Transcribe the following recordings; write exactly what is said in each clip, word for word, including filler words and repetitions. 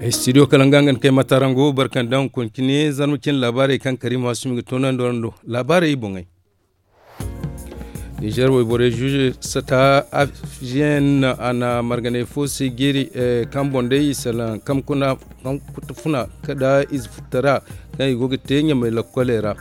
Studio kala nga nga ni kay matarango barkandaŋ hunkuna cine zarma cine laabaarey kaŋ kariima sumi ga toonandi warando laabaarey boŋey. Nizer wayborey zuuze sata afgn a na marganey fo se jeeri kaŋ boŋ day i salaŋ kaŋ kuna kaŋ kutu funa nda ize futtara kaŋ i go ga te ɲamey lokkoley ra.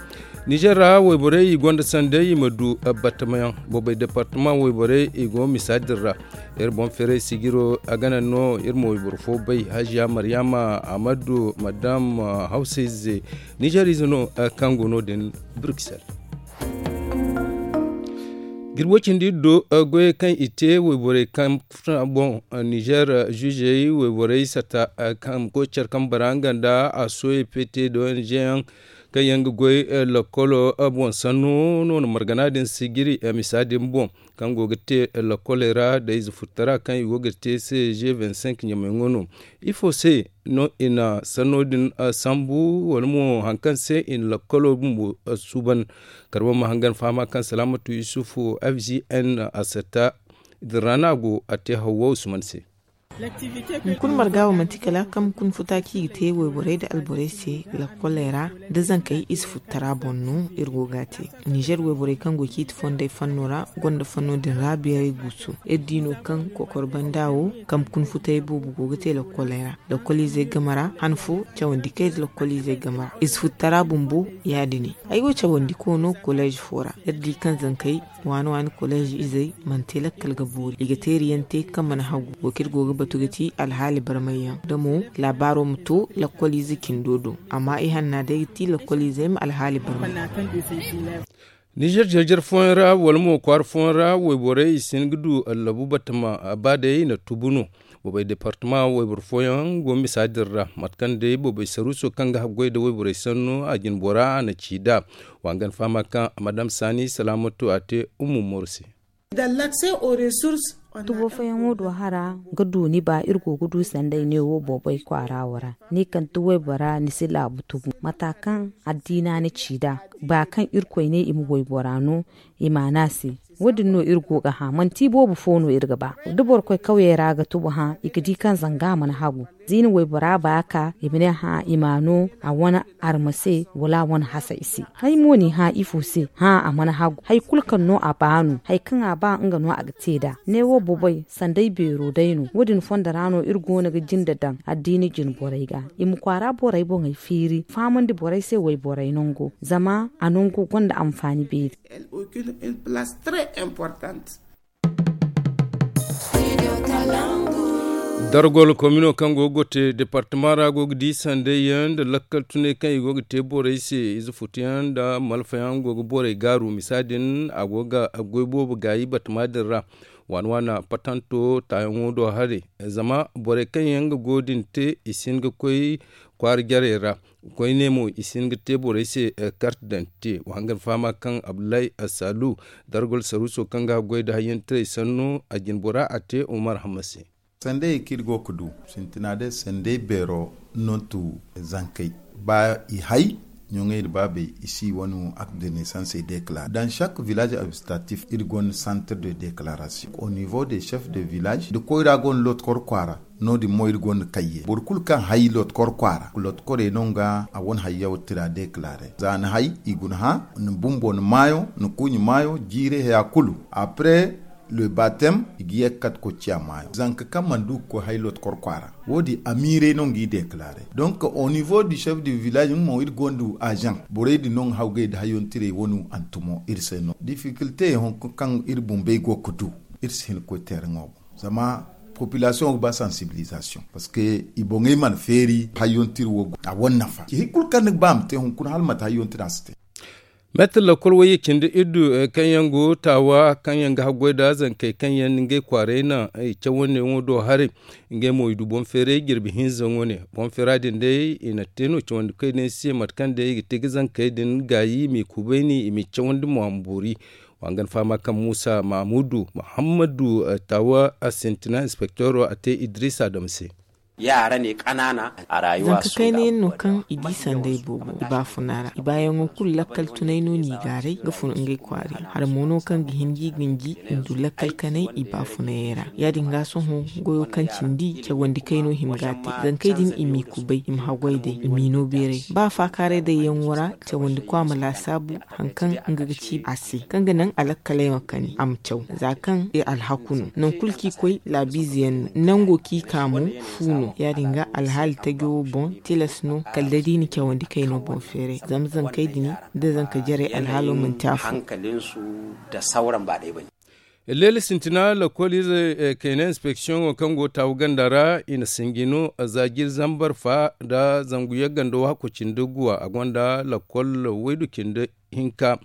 Nizer ra wayborey i gonda sanday i ma du batamayaŋ boobay departama wayborey i go misa din ra. Iri boŋ feeray sijiro a ga naŋ no iri ma wayboro fo bay haziya mariyama amadu madam hawsa ize nizer ize no kaŋ go no din bruxelles. Jirbo cindi iri do goyey kaŋ i te wayborey kaŋ funa boŋ nizer zuzey wayborey sata kaŋ koy care kaŋ bara nga nda a soye pete da ong yaŋ kaŋ yaŋ ga goy lakkolo boŋ sanno no na margana din sijiri misa din boŋ kaŋ go ga te lakkoley ra da ize futtara kaŋ i go ga te se g vingt-cinq ɲamay ŋo no. Ifo se no i na sanno din sambu wala mo hari kaŋ se i na lakkolo bumbo suuban? Kala boro ma hangan fahama kaŋ salaamatu yusufu f g n a satta din ra no a go a te hawwa usman se. Hunkuna marga wo manti kala kaŋ hunkuna futa kaŋ i ga te wayborey nda alborey se lakkoley ra da zankey ize futtara boŋ no iri go ga a te. Nizer wayborey kaŋ go ciiti fonday fanno ra gonda fanno din ra beeray guusu iri di no kaŋ kokor banda wo kaŋ hunkuna futay boobo go ga te lakkoley ra. Lakkoliizey game ra han fo cawandi kay nda lakkoliizey game ra ize futtara bumbo ya- din ay go cawandi koono koleez fo ra iri di kaŋ zankey waani waani koleez izey mana te lakkal ga boori i ga teeri yaŋ te kaŋ mana hagu wo kaŋ iri go ga batu ga ti alhaali barmay yaŋ da mo laabaaro ma to lakkol ize cindo do amma i hanna day ga ti lakkol izey ma alhaali barmay. Nizer jarjar fooyaŋ ra wala mo kwaara fooyaŋ ra wayborey i si hin ga du allabu batama ba day na tubu no. Boobay departama wayboro fooyaŋ go misa din ra mate kaŋ day boobay saruuso kaŋ ga haggoy nda wayborey sanno a jine bora a na ci nd'a. Wa nga ni fahama kaŋ madam saani salaamatu a te ummu moro se. Tubo fooyaŋo do hara ga du ni ba iri go ga du sanday neewo boobay kwaara wo ra ni kaŋ ti waybora ni si laabu tubu mata kaŋ addiina ni ci nd'a ba kaŋ irkoy ne i ma waybora no i ma a ne a se. Wo- din no iri go ga hã manti iboobo fo no iri ga ba da boro koy kawyey ra ga tubu hã i ga di kaŋ zanga mana hagu. Ziini waybora ba ka i ma ne hã i ma no a wane arma se wala a wane hasa i se. Hay mo n'i hã ifo se hã a mana hagu hari kulu kaŋ no a ba no hari kaŋ a ba nga no a ga te nd'a. Neewo boboy sanday beero day no wo- din fondo ra no iri go no ga jinde daŋ addiina jine borey ga i ma kwaara borey boŋey feeri fahamandi borey se wayborey nango zama a nango gonda anfaani beeri. Dargol komino kaŋ go ga gote departama ra go ga di sanday yaŋ nda lakkal tunay kaŋ i go ga te borey se ize futuyaŋ nda malfayaŋ go ga borey gaaru misa din a go ga goy boobo gaayi batama din ra. Waana waana patanto taayaŋo do haray zama borey kaŋ yaŋ ga go din te i si hin ga koy kwaara jarey ra. Koyne mo i si hin ga te borey se karte dante wa hangan fahama kaŋ abdullahi assaalu dargol saruuso kaŋ ga goy nda hayyantaray sanno a jine bora a te umar hamma se. Sanday kaŋ iri go ga du sintina day sanday beero no tu zankey ba i hay ɲoŋey nda baabey i si wane akte de neesansey deklaare dans chaque village administratif iri gonda santre de deklaration au niveau de chef de village nda koyra gonda lotkor kwaara. No- din mo iri gonda kayye boro kulu kaŋ hay lotkor kwaara lotkorey no nga a wane hayyaw tira deklaare za ni hay i guna hã ni bumbo ni maayo ni kuuɲi maayo jiiri haya kulu après le batem i ga ye ga kate koy ciya maayo zanka kaŋ mana du ga koy hay lotkor kwaara. Wo- din amiirey no nga i deklaare donc au niveau du chef du village nga mo iri gonda azaŋ borey din no nga hawgay nda hayyantirey wane hantumo iri se no difficulté hunkuna kaŋ iri bumbey go ga du. Iri si hin ga koy teeraŋo boŋ zama population ga ba sensibilisation parce que i boŋey mana feeri hayyantir wo a wane nafa hari kulu kaŋ ni ga ba a ma te hunkuna hala mate hayyantir a si te. Meetir lakkol wayye cindi iddu kaŋ yaŋ go taawa kaŋ yaŋ ga haggoy nda zankey kaŋ yaŋ na ngey kwaaray naŋ i cawandi yaŋo do haray. Ngey mo i du boŋ feeray jirbi hinza wane boŋ feera din day i na te no cawandi koy din se mate kaŋ day i ga te ga zankey din gaayi i m'i kubayni i m'i cawandi mo a ma boori. Wa nga ni fahama kaŋ muusa mahamudu muhammadu taawa a sintina inspektoro a te idiriisa dam se. Yaŋ a ra ne kanaana. Zanka kayna yaŋ no kaŋ i di sanday boobo i baafuna ra i baayaŋo kulu lakkal tunay no n'i gaaray ga fun ngey kwaara yaŋ hari mo no kaŋ ga hin ga i gunji i ma du lakkal kanay i baafuna yaŋ ra. Ya- din ga sohõ goyo kaŋ cindi cawandi kayno hima ga a te zankey din i m'i kubay i ma haggoy day i m'i no beeray ba faakaaray day yaŋo ra cawandi kwa ma laasaabu hari kaŋ nga ga ci a se kaŋ ga naŋ alakkaley ma kani a ma caw za kaŋ i alhaku no nangu kulu kaŋ i koy laabiize yaŋ no nango kaŋ i ka mo fu no ya- din ga alhaali tajo wo boŋ tilas no kala da da i na cawandi kayno boŋ feeray zama zankey din da zanka jarey alhaalo manti afo. Leela sintina lakkol ize kayna inspeksiyoŋo kaŋ go taawu ganda ra i na sinji no za jiri zambar fa nda zangu yagga nda waako cindi guwa a gonda lakkol waydu cindi hinka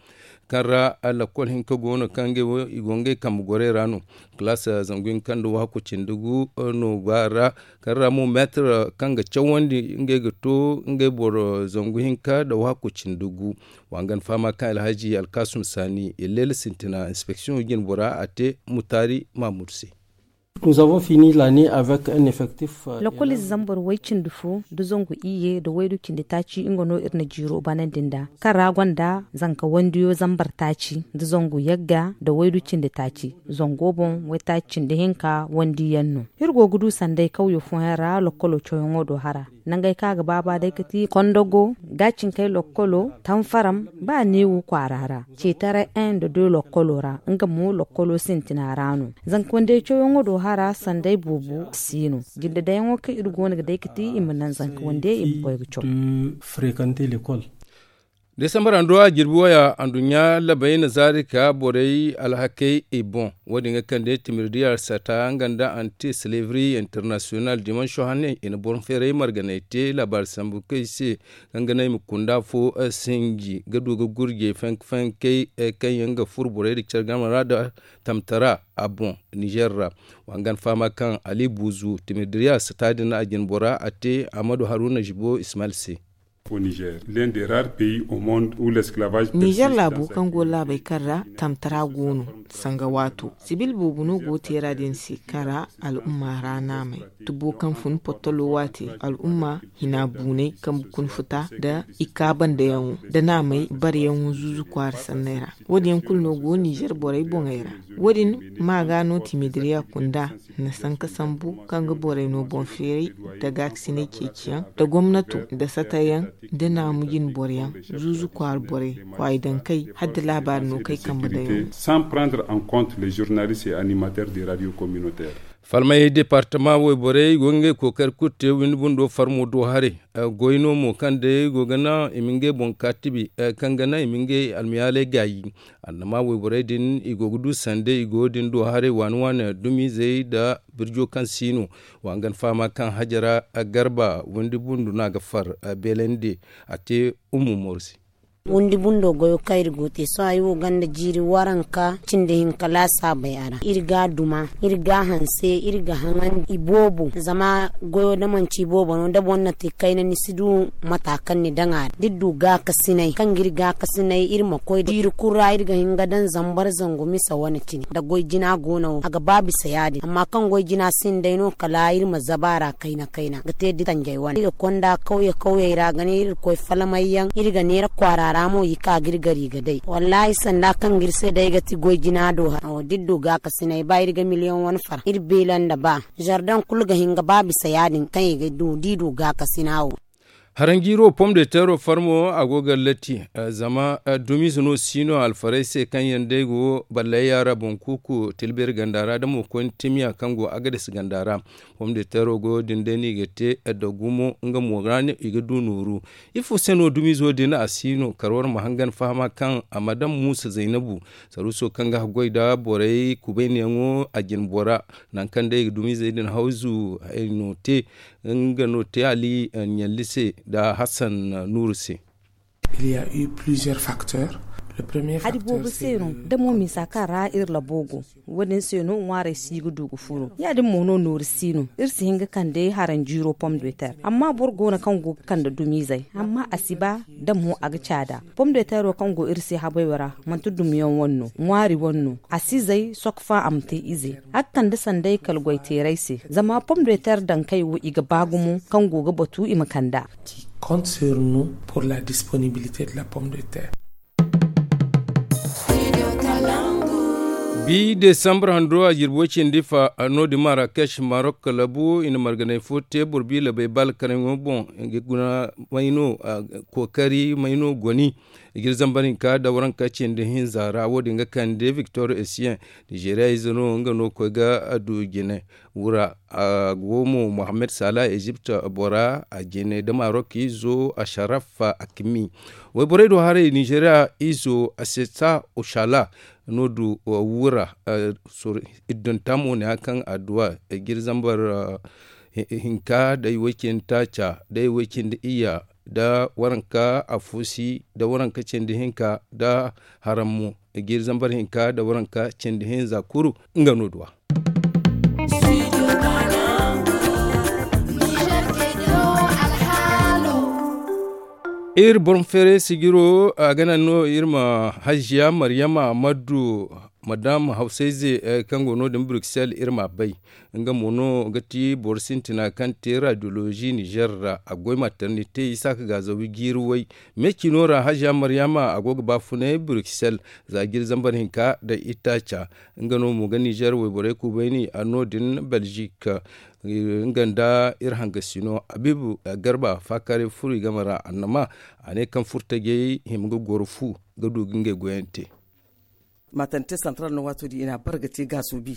kaŋ ra lakkol hinka go no kaŋ ngey wo i go ngey kambe gorey ra no. Kalaas zangu hinka nda waako cindi gu no go a ra kaŋ ra mo meetir kaŋ ga cawandi ngey ga to ngey boro zangu hinka nda waako cindi gu. Wa nga ni fahama kaŋ alhaji alkaasum saani illeela sintina inspeksiyoŋo jine bora a te mutaari maamudu se. Lakkol ize zambar way cindi fo nda zangu iyye nda waydu cindi taaci nga no iri na jiiro banandi nd'a kaŋ ra gonda zanka wandiyo zambar taaci nda zangu yagga nda waydu cindi taaci zango boŋ waytaaci cindi hinka wandiyaŋ no. Iri go ga du sanday kawyo fooyaŋ ra lakkolo cawyaŋo do hara nangey kaŋ a ga baaba day ga ti kondogo gaacinkey lokkolo tanfaram ba neewu kwaara ra ceetaray en nda doy lokkolo ra nga mo lokkolo sintina ra no. Zanka wandey cawyaŋo do hara sanday boobo si no jinde dayyaŋo kaŋ iri go no ga day ga ti i ma naŋ zanka wandey i ma koy ga caw. Desambar handu a jirbi waya anduɲɲa labey na zaari ka borey alhakey i boŋ. Wo- din ga kande timirdi arsata nga nda anti silivri internasiyonal dimanso hane i na boŋ feeray marganay te laabaari sambu kaŋ i se kaŋ ga naŋ i ma kunda fo sinji ga du ga gurjey fanka fankey kaŋ yaŋ ga furo borey nda care game ra nda tamtara a boŋ nizer ra. Wa nga ni fahama kaŋ ali buuzu timirdi arsata din a jine bora a te ahmadu haruna zibo ismael se. Nizer laabo kaŋ go laabey kaŋ ra tamtara go no sanga waato sibil boobo no go teera din se kaŋ ra al'umma ra naamey tubo kaŋ fun pottolo waate al'umma hina buunay kaŋ bukun futa nda i ka bandayaŋo nda naamey bareyaŋo zuuzu kwaara sanney ra. Wo- din yaŋ kulu no go nizer borey boŋey ra. Wo- din ma ga no timidiriya kunda na sanka sambu kaŋ ga borey no boŋ feeray nda gaakasinay ceeciyaŋ nda gomnato nda satayyaŋ nda naamu jine boroyaŋ zuuzu kwaara borey kwaayi dankey hala da laabaari no kaŋ ay kambe daŋ yaŋ. Falmey departama wayborey go ga ngey kookari kulu te windi bundo farmo do haray. Goy no mo kaŋ day go ga naŋ i ma ngey boŋ kaatibi kaŋ ga naŋ i ma ngey almiyaaley gaayi. Annama wayborey din i go ga du sanda i go din do haray waani waani dumizey nda birjo kaŋ si no. Wa nga ni fahama kaŋ hajara garba windi bundu no a ga far beelandi a te ummu mooru se. Windi bundo goyo kaŋ iri go te sohõ ay wo ganda jiiri waranka cindi hinka laasaabey a ra iri ga a duma iri ga a hanse iri ga haŋandi iboobo zama goyo da manci iboobo no da boro na te kayna ni si du mata kaŋ ni daŋ a ra da iri du gaakasinay kaŋ ga iri gaakasinay iri ma koy jiiri kulu ra iri ga hin ga daŋ zambar zangu misa wane cine nda goy jina go no wo a ga ba bisa ya- din amma kaŋ goy jina sinda day no kala iri ma zaba a ra kayna kayna ga te da tanjay wane iri ga konda kawye kawyey ra ga ne iri ga koy falmay yaŋ iri ga neera kwaara ra mo i ka ga iri gari ga day wallaahi sanda kaŋ ga iri se day ga ti goy jina do hara wo da iri du gaakasinay ba iri ga miliyoŋ wane fara iri beela nda ba zardaŋ kulu ga hin ga ba bisa ya- din kaŋ i ga du da i du gaakasina wo. Haranjiiro pom de teero farmo a go ga latti zama dumiize no si no alfarey se kaŋ yaŋ day go ballay yaara boŋ kuuku tilbeeri ganda ra da mo koyne timiya kaŋ go agades ganda ra. Pom de teero goyo din day no i ga te da gumo nga mo ra no i ga du nooru. Ifo se no dumiizo din a si no kar war ma hangan fahama kaŋ a ma daŋ muusa zaynabu saruuso kaŋ ga haggoy nda borey kubaynayaŋo a jine bora. Nangu kaŋ day i ga dumiizey din hawzu hayno te nga no te ali ɲalli se nda hassan nuuru se. Il y a eu plusieurs facteurs. Hari boobo se no, da mo misa kaŋ ra iri labo go, wo- din se no ŋwaarey si ga du ga furo. Ya- din mo no nooru si no, iri si hin ga kande haranjiiro pom de ter. Amma boro go no kaŋ go ga kande dumizey, amma a si ba, da mo a ga caada. Pom de tero kaŋ go iri se habayo ra, manti dumiyaŋ wane no, ŋwaari wane no. A si zay sokfa a ma te ize. A ga kande sanday kala goy teerey se, zama pom de ter dankey wo i ga ba gumo kaŋ go ga batu i ma kand'a. Compte sur nous pour la disponibilité de la pomme de terre. Bi desambur hando a jirbi way cindi fa, no- din marakech marok labu i na marganay fo te boro bi labay balkaraŋo boŋ. Nga guna mayno kookari mayno goni. Jiri zambar hinka da waranka cindi hinza ra wo- din ga kande victor essien, nizeeriya ize no nga no koy ga du jine. Wura a go mo mohammed sala ezipt bora a jine da marok izo a sharaf a kimi. Wayborey do haray nizeeriya izo a seta oshala no du wura. Iddonta mo ne a kaŋ adduwa jiri zambar hinka day way cindi taaca day way cindi iyya da waranka afusi da waranka cindi hinka da haram mo. Jiiri zambar hinka da waranka cindi hinza kuru nga no duwa. Iri bormfeeray sijiro a ga naŋ no iri ma hajiya maryama maddu madam hawsayze kaŋ go no- din bruxelles iri ma bay. Nga mo no ga ti boro sintina kaŋ te radiolozi nizer ra a goy maternite isaaka gaazawi jiiri way. Me cino ra hajiya maryama a go ga baafunay bruxelles za jiiri zambar hinka da itaaca. Nga no mo ga nizer wayborey kubayni a no- din belgique. Nga nda iri hangasino abibu garba faakaaray furo i game ra annama a ne kaŋ furtajey hima ga goro fu ga du ga ngey goyante. Maternité centrale no waato din i na a bare ga te gaaso bi.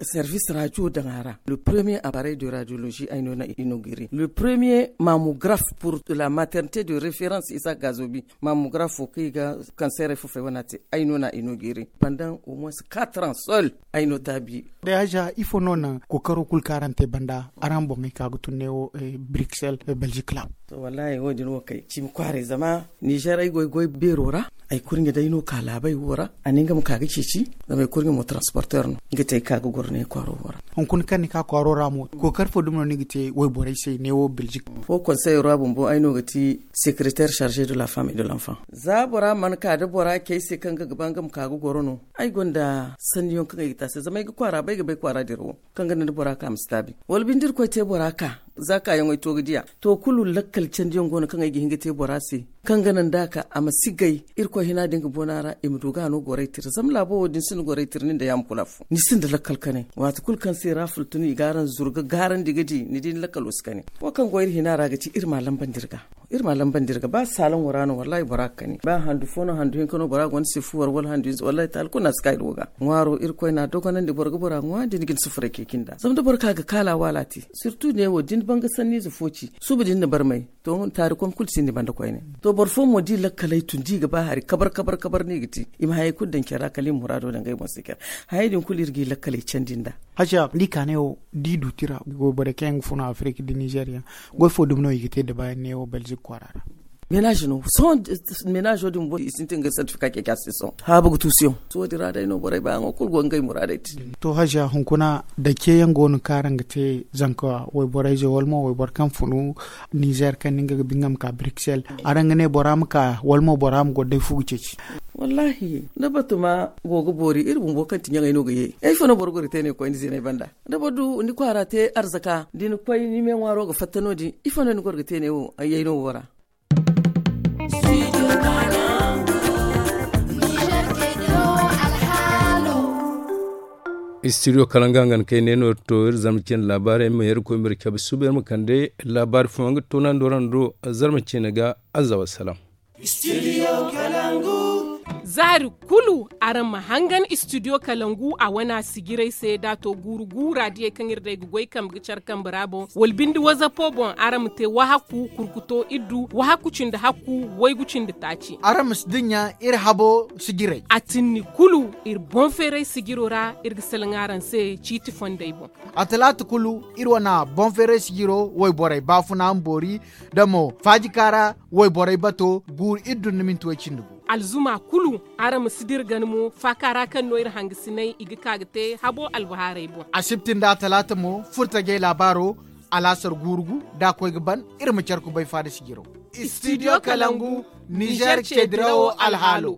Service radio daŋ a ra le premier appareil de radiologie ay no na inauguré le premier mammographe pour la maternité de référence isa gaazo bi. Mammographe wo kaŋ i ga cancer ay fufay wana te ay no na inauguré pendant au moins quatre ans seul. Ay no taabi. Day haja ifo no naŋ kookaro kulu kaŋ araŋ te banda araŋ boŋey ka ga tun neewo bruxelles belgique la. To wallahi wo- din wo kay cimi kwaaray zama nizer ay goy goy beero ra. Ay kurɲe day no ka laabay wo ra a ne nga ma ka ga ceeci. Zama ay kurɲe mo transporteur no nga te ay ka ga goro ne kwaaro wo ra. Hunkuna kaŋ ni ka kwaaro ra mo kookari fo dumi no ni ga te wayborey se neewo belgique. Wo conseil ra bumbo ay no ga ti secrétaire chargé de la femme et de l'enfant. Za bora mana ka da bora cay se kaŋ ga ga ba nga ma ka ga goro no. Ay gonda sanniyaŋ kaŋ ay ga te a se zama ay ga kwaara bay ga bay kwaara dira wo kaŋ ga naŋ da bora ka ma si taabi wala binde irkoy te bora ka. Za kaayaŋo ay to ga diya to kulu lakkal candiyaŋ go no kaŋ ay ga hin ga te bora se. Kaŋ ga naŋ da a ka a ma si gay irkoy hina din ga boona ra i ma du ga a no goray tira zama laabo wo da ni sinda goray tira nin da yaama kulu afo ni sinda lakkal kanay. Waati kulu kaŋ se ra fultunu i ga araŋ zuru ga gaarandi ga di ni di ni lakkalo si kanay. Wo kaŋ go iri hina ra ga ti iri ma a lambandi iri ga. Iri ma a lambandi iri ga ba saalaŋo ra no wallahi bora ga kani ba handu fo no handu hinka no bora gonda si fuwar wala handu hinza wallahi taali kulu no a si ka iri wo ga. Ŋwaaro irkoy no a dogonandi boro ga bora ŋwa da ni ga ni sufuray kay cindi ra zama da boro ka ga kaala waala te. Surtout neewo da ni banga sanniize fo ci suba da ni na barmay. To taari koŋ kulu si ni banda koyne. To boro fo mo da i lakkaley tun da i ga ba hari kabar kabar kabar no i ga te. I ma hayey kulu daŋ care ra kala i ma muraado daŋ ngey boŋ se care. Hayey din kulu iri ga i lakkaley candi nd'a. Haja da i ka ne wo da i du tira goy borey kaŋ yaŋ ga funa afirika da nizeeriya. Goy fo dumi no i ga te da baayaŋ neewo belgique kwaara ra. Menage no sohõ. Menage wo din bumbo i sintin ga certificat ke ka se sohõ haabu ga tuusu yaŋ. Sohõ din ra day no borey baayaŋo kulu go ngey muraadey te. To haja hunkuna da ceeyaŋ go no kaŋ araŋ ga te zanka wayborey ze wala mo wayboro kaŋ funu nizer kaŋ ni nga ga bi nga ma ka bruxelles araŋ ga ne bora ma ka wala mo bora ma goro day fu ga ceeci? Wallahi da batuma go ga boori iri bumbo kaŋ ti ɲaŋey no ga ye. Ifo no boro goro ga te ne koyne ziney banda? Da boro du ni kwaara te arzaka da ni koy ni me ŋwaaro ga fatta no- din ifo no ni goro ga te ne wo ay yay no wo ra? Studio kalanga nga na kay ne no to iri zarma cine laabaarey ma yer koy ma iri cabe suba iri ma kande laabaari fo nga toonandi waraŋ do. Zarma cine ga azza wassalam. Zaari kulu araŋ ma hangan studio kalangu a wana sijirey se da to guuru guura diyey kaŋ iri day ga goy kambe ga care kambe ra boŋ wala binde wazapo boŋ araŋ ma te wahakku kurkuto iddu wahakku cindi hakku waygu cindi taaci. Araŋ ma si dinya iri habo sijirey a tinni kulu iri boŋ feeray sijiro ra iri ga salaŋ araŋ se ciiti fondey boŋ. A talaata kulu iri wana boŋ feeray sijiro wayborey baafuna ma boori da mo faajika ra wayborey bato guuru iddu nda minti way cindi gu. Alzuma kulu, araŋ ma si dira gana mo faaka ra kaŋ no iri hangasinay i ga ka ga te habo albahaarey boŋ. Asibti nda talaata mo furtajey laabaaro, alaasar guurugu da a koy ga ban. Iri ma care kubay faada sijiro. Studio kalangu, nizer ce dirawo alhaalo.